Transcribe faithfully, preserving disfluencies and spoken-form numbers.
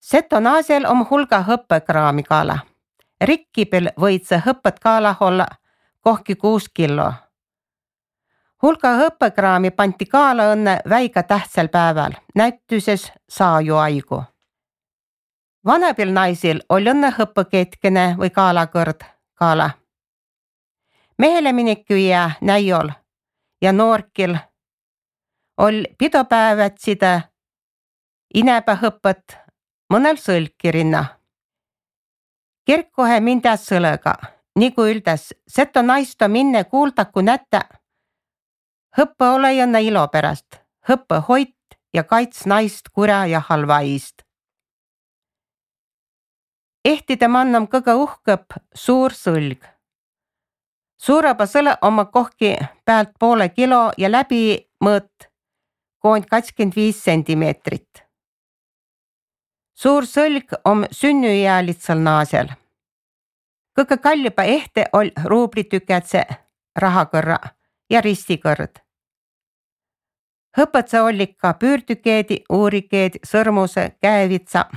Seto naasel om hulga hõppekraami kaala. Rikkipel võid see hõppet kaala olla kohki kuus kilo. Hulga hõppekraami panti kaala õnne väiga tähtsal päeval, näütuses saaju aigu. Vanapil naisil oli õnne hõppeketkene või kaalakõrd kaala. Mehele minikku jää näiol ja noorkil oli pidopäevad sida inäpä hõppet mõnel sõlkirinna. Kirkkohe mindä sõlega, nagu üldes, seto naisto minne kuuldaku nätä. Hõppe ole jõnne ilo pärast, hõppe hoit ja kaits naist kurja ja halva iist. Ehtide mannam kõige uhkõp suur sõlg. Suureba sõle oma kohki pealt poole kilo ja läbi mõõt koond kakskümmend viis sentimeetrit. Suur sõlg om sünnüjäälitsal naasel. Kõige kallipa ehte ol ruublitükätse rahakõrra ja ristikõrd. Hõpetsa ollik ka püürtükeedi, uurikeedi, sõrmuse, käevitsa